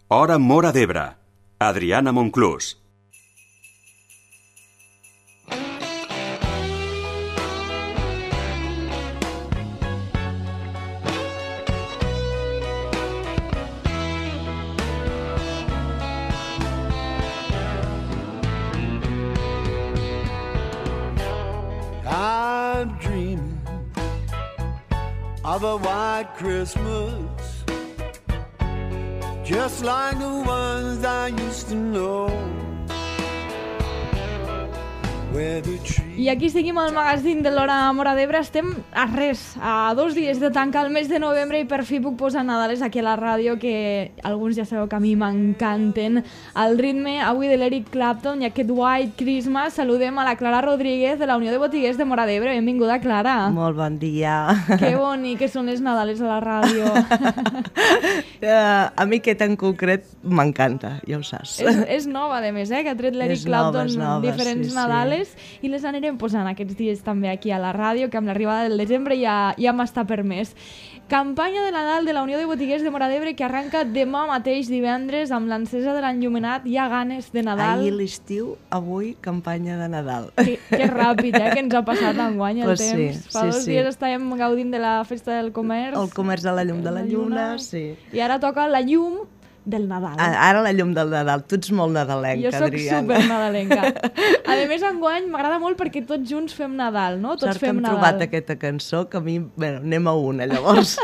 Hora Móra d'Ebre. Adriana Monclús. I'm dreaming of a white Christmas, just like the ones I used to know, where the trees... I aquí seguim al magazín de l'Hora Móra d'Ebre. Estem a res, a 2 dies de tancar el mes de novembre i per fi puc posar Nadales aquí a la ràdio, que alguns ja sabeu que a mi m'encanten. El ritme avui de l'Eric Clapton i aquest White Christmas. Saludem a la Clara Rodríguez de la Unió de Botiguers de Móra d'Ebre. Benvinguda, Clara. Molt bon dia. Que bonic que són les Nadales a la ràdio. A mi aquest en concret m'encanta, ja ho saps. És nova, a més, que ha tret l'Eric Clapton diferents Nadales i les anirem posant aquests dies també aquí a la ràdio, que amb l'arribada del desembre ja m'està permès. Campanya de Nadal de la Unió de Botiguers de Móra d'Ebre que arranca demà mateix divendres amb l'encesa de l'enllumenat. Hi ha ganes de Nadal. Ahir l'estiu, avui campanya de Nadal. Que ràpid, que ens ha passat enguany el temps. Sí, Fa 2 dies estàvem gaudint de la festa del comerç. El comerç de la llum de la lluna, sí. I ara toca la llum del Nadal. Ara la llum del Nadal. Tu ets molt nadalenca, Adriana. Jo soc supernadalenca. A més, enguany m'agrada molt perquè tots junts fem Nadal, no? Tots fem Nadal. Sort que hem trobat aquesta cançó, que a mi... Bueno, anem a una, llavors.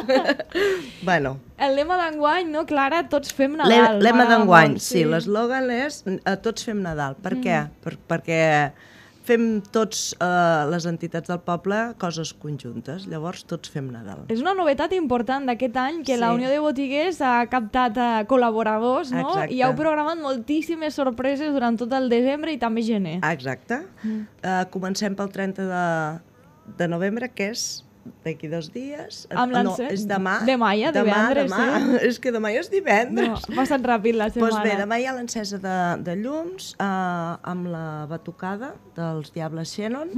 Bueno. El lema d'enguany, no, Clara? Tots fem Nadal. Lema d'enguany, sí. L'eslògan és tots fem Nadal. Per què? Perquè fem tots les entitats del poble coses conjuntes, llavors tots fem Nadal. És una novetat important d'aquest any que la Unió de Botiguers ha captat col·laboradors, no? Exacte. I heu programat moltíssimes sorpreses durant tot el desembre i també gener. Exacte. Comencem pel 30 de novembre, que és d'aquí 2 dies. No, és demà. Demà ja, divendres. Demà. És que demà ja és divendres. No, ha passat ràpid la setmana. Doncs bé, demà hi ha l'encesa de llums amb la batucada dels Diables Xenon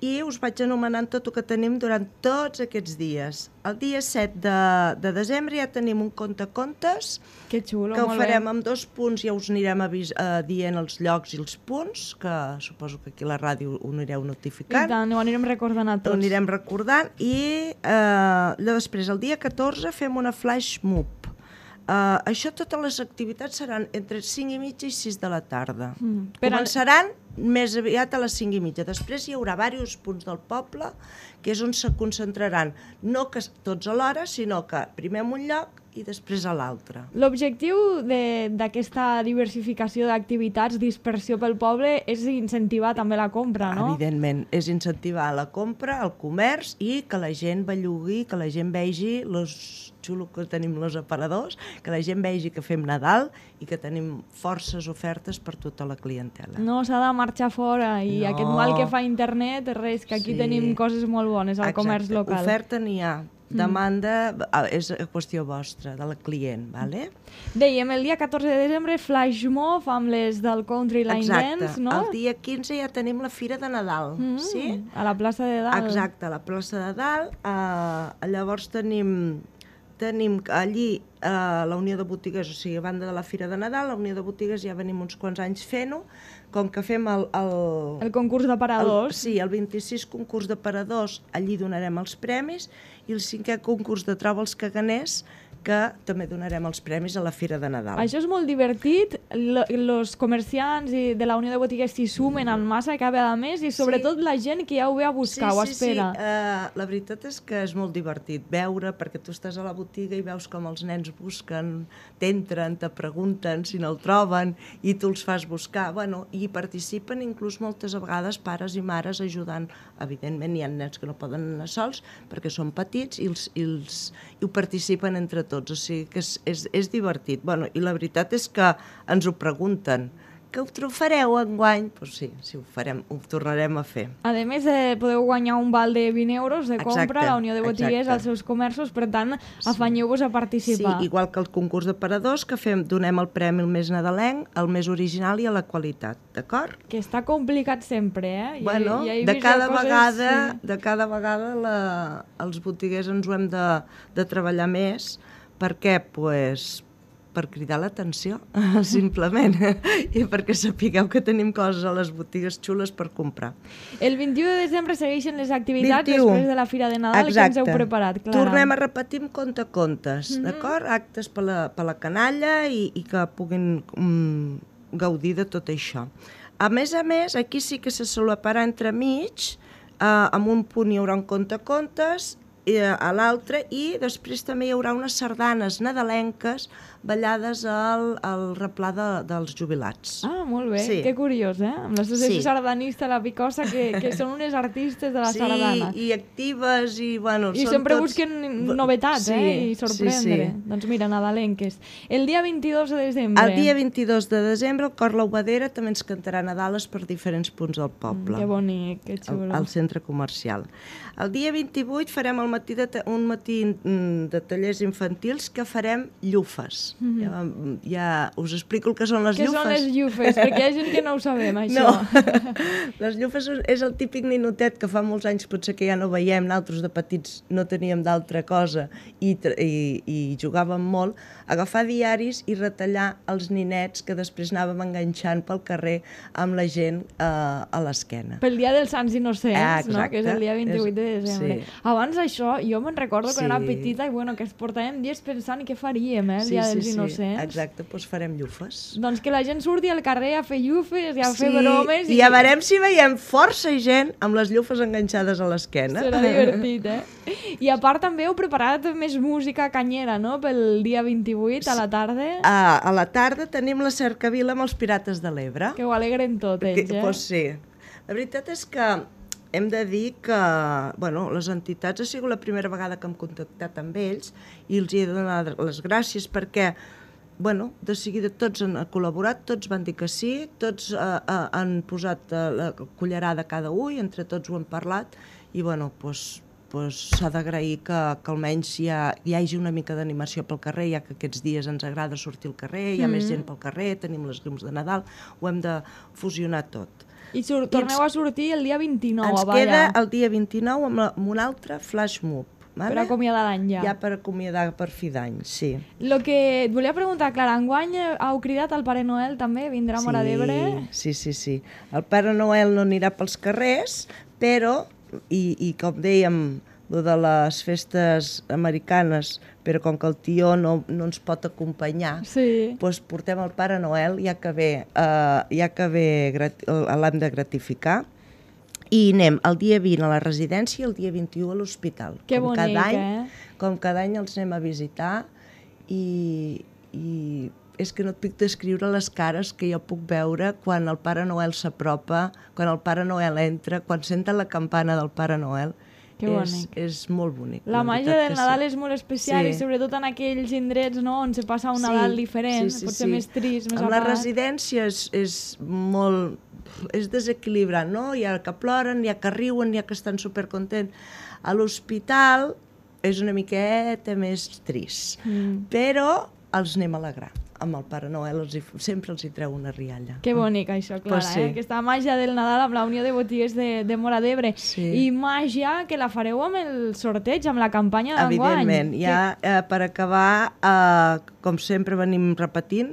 i us vaig anomenant tot el que tenim durant tots aquests dies. El dia 7 de desembre ja tenim un contacontes que xulo, que ho farem amb 2 punts, ja us anirem dient els llocs i els punts, que suposo que aquí a la ràdio ho anireu notificant. I tant, ho anirem recordant a tots. Ho anirem recordant i després, el dia 14, fem una flash mob. Això, totes les activitats seran entre 5:30 i 6 de la tarda. Començaran més aviat a les 5:30. Després hi haurà diversos punts del poble, que és on se concentraran, no que tots alhora, sinó que primer en un lloc i després a l'altre. L'objectiu d'aquesta diversificació d'activitats, dispersió pel poble, és incentivar també la compra, no? Evidentment, és incentivar la compra, el comerç i que la gent bellugui, que la gent vegi xulo que tenim els aparadors, que la gent vegi que fem Nadal i que tenim forces ofertes per tota la clientela. No s'ha de marxar fora i aquest mal que fa internet, res, que aquí tenim coses molt bones al comerç local. Oferta n'hi ha. Demanda és qüestió vostra, de la client, vale? Dèiem, el dia 14 de desembre, Flash Mob amb les del Country Line Dance, no? El dia 15 ja tenim la Fira de Nadal, sí? A la plaça de Dalt. Exacte, a la plaça de Dalt. Llavors tenim allí la Unió de Botiguers, o sigui, a banda de la Fira de Nadal, la Unió de Botiguers ja venim uns quants anys fent-ho, com que fem el concurs d'aparadors. Sí, el 26 concurs d'aparadors, allí donarem els premis, i el 5è concurs de Troba els Caganers, que també donarem els premis a la Fira de Nadal. Això és molt divertit, els comerciants de la Unió de Botiguers s'hi sumen en massa cada mes i sobretot la gent que ja ho ve a buscar, ho espera. Sí, la veritat és que és molt divertit veure, perquè tu estàs a la botiga i veus com els nens busquen, t'entren, te pregunten si no el troben i tu els fas buscar. Bueno, i participen inclús moltes vegades pares i mares ajudant. Evidentment hi ha nens que no poden anar sols perquè són petits i ho participen entre tots. O sigui que és divertit. Bueno, i la veritat és que ens ho pregunten. Que ho fareu enguany? Doncs sí, ho tornarem a fer. A més, podeu guanyar un val de 20 euros de compra a la Unió de Botiguers als seus comerços, per tant, afanyeu-vos a participar. Sí, igual que el concurs d'aparadors, que donem el premi al més nadalenc, al més original i a la qualitat, d'acord? Que està complicat sempre, Bueno, de cada vegada els botiguers ens ho hem de treballar més. Per què? per cridar l'atenció, simplement, i perquè sapigueu que tenim coses a les botigues xules per comprar. El 21 de desembre segueixen les activitats 21. després de la Fira de Nadal. Exacte. Que ens heu preparat, Clara? Tornem a repetir amb contes, d'acord? Actes per la canalla i que puguin gaudir de tot això. A més, aquí sí que se solaparà entremig, amb un punt hi haurà un contes, a l'altre, i després també hi haurà unes sardanes nadalenques ballades al replà dels jubilats. Ah, molt bé, Sí. que curiós, eh? Amb l'associació Sí. sardanista La Picosa, que són unes artistes de la sardana. Sí, i actives, i bueno... I són sempre tots... busquen novetats, i sorprendre. Sí. Doncs mira, nadalenques. El dia 22 de desembre. El dia 22 de desembre el Cor L'Obadera també ens cantarà Nadales per diferents punts del poble. Que bonic, que xulo. Al centre comercial. El dia 28 farem un matí de tallers infantils que farem llufes. Ja us explico el que són les Què llufes. són les llufes? Perquè hi ha gent que no ho sabem, això. No, les llufes és el típic ninotet que fa molts anys potser que ja no veiem, nosaltres de petits no teníem d'altra cosa i jugàvem molt, agafar diaris i retallar els ninets que després anàvem enganxant pel carrer amb la gent a l'esquena. Pel dia dels Sants Innocents, no? Exacte. Que és el dia 28 de desembre. Sí. Abans això, jo me'n recordo quan Sí. era petita i bueno, que es portàvem dies pensant i què faríem, el dia dels Innocents. Exacte, doncs farem llufes. Doncs que la gent surti al carrer a fer llufes i a fer bromes. I ja veurem si veiem força gent amb les llufes enganxades a l'esquena. Serà divertit, I a part també heu preparat més música canyera, no?, pel dia 28 a la tarda. A la tarda tenim la cercavila amb els Pirates de l'Ebre. Que ho alegren tot, ells, Doncs sí. La veritat és que hem de dir que les entitats ha sigut la primera vegada que hem contactat amb ells i els he de donar les gràcies perquè de seguida tots han col·laborat, tots van dir que sí, tots han posat la cullerada cada un i entre tots ho hem parlat i s'ha d'agrair que almenys hi hagi una mica d'animació pel carrer, ja que aquests dies ens agrada sortir al carrer, hi ha més gent pel carrer, tenim les llums de Nadal, ho hem de fusionar tot. I torneu a sortir el dia 29 Ens a ballar. queda el dia 29 amb un altre flash mob. Per acomiadar l'any ja. Ja per acomiadar per fi d'any, sí. El que et volia preguntar, Clara, enguany heu cridat al Pare Noel també? Vindrà a Móra d'Ebre? Sí. El Pare Noel no anirà pels carrers, però, i com dèiem, lo de les festes americanes, però com que el tio no ens pot acompanyar, doncs portem el Pare Noel, ja que l'hem de gratificar, i anem el dia 20 a la residència i el dia 21 a l'hospital. Que bonic, Com cada any els anem a visitar i és que no et puc descriure les cares que jo puc veure quan el Pare Noel s'apropa, quan el Pare Noel entra, quan senten la campana del Pare Noel. Que bonic. És molt bonic. La màgia del Nadal és molt especial i sobretot en aquells indrets on se passa un Nadal diferent, potser més trist, més apagat. Amb la residència és desequilibrant, no? Hi ha que ploren, hi ha que riuen, hi ha que estan supercontents. A l'hospital és una miqueta més trist, però els anem a alegrar. Amb el Pare Noel sempre els hi treu una rialla. Que bonic això, Clara, aquesta màgia del Nadal amb la Unió de Botiguers de Móra d'Ebre. I màgia que la fareu amb el sorteig, amb la campanya d'enguany. Evidentment, ja per acabar, com sempre venim repetint,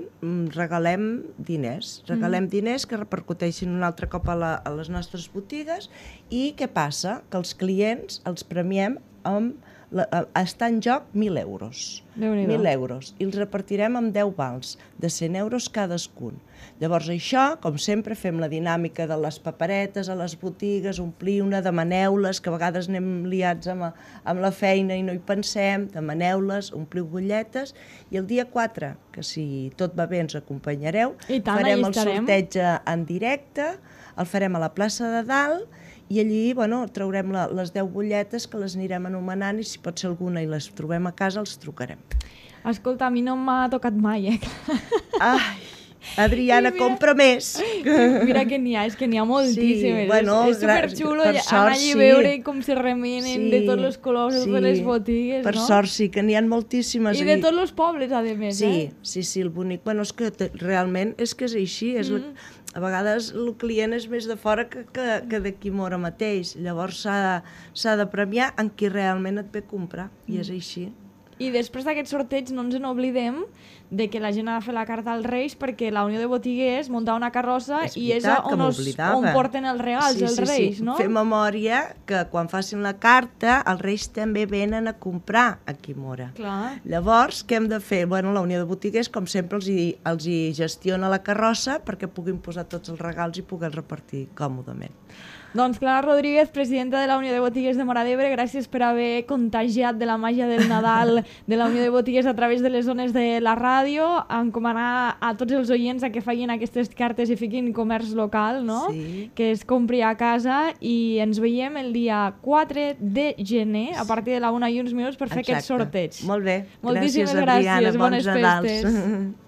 regalem diners. Regalem diners que repercuteixin un altre cop a les nostres botigues i què passa? Que els clients els premiem amb està en joc 1.000 euros. 1.000 euros. I els repartirem amb 10 vals, de 100 euros cadascun. Llavors això, com sempre, fem la dinàmica de les paperetes a les botigues, omplir-ne, demaneu-les, que a vegades anem liats amb la feina i no hi pensem, demaneu-les, ompliu butlletes, i el dia 4, que si tot va bé ens acompanyareu, farem el sorteig en directe, el farem a la plaça de Dalt, i allí traurem les 10 butlletes que les anirem anomenant i si pot ser alguna i les trobem a casa els trucarem. Escolta, a mi no m'ha tocat mai, Ai, Adriana, compra més. Mira que n'hi ha, és que n'hi ha moltíssimes. És superxulo anar allí a veure com se remenen de tots els colors, de totes les botigues, no? Per sort sí, que n'hi ha moltíssimes. I de tots els pobles, a més, Sí, el bonic. És que realment és que és així, a vegades el client és més de fora que d'aquí Móra mateix. Llavors s'ha de premiar en qui realment et ve a comprar, i és així. I després d'aquest sorteig no ens n'oblidem de que la gent ha de fer la carta als Reis perquè la Unió de Botiguers munta una carrossa i és on porten els regals, els Reis, no? Fer memòria que quan facin la carta els Reis també venen a comprar a Quimora. Clar. Llavors, què hem de fer? Bueno, la Unió de Botiguers, com sempre, els hi gestiona la carrossa perquè puguin posar tots els regals i puguin repartir còmodament. Doncs Clara Rodríguez, presidenta de la Unió de Botiguers de Móra d'Ebre, gràcies per haver contagiat de la màgia del Nadal de la Unió de Botiguers a través de les zones de la ràdio, encomanar a tots els oients a que facin aquestes cartes i fiquin comerç local, no? Sí. Que es compri a casa i ens veiem el dia 4 de gener a partir de la 1:01 per fer aquest sorteig. Molt bé. Moltíssimes gràcies. Adriana. Bones Bons Nadals. festes.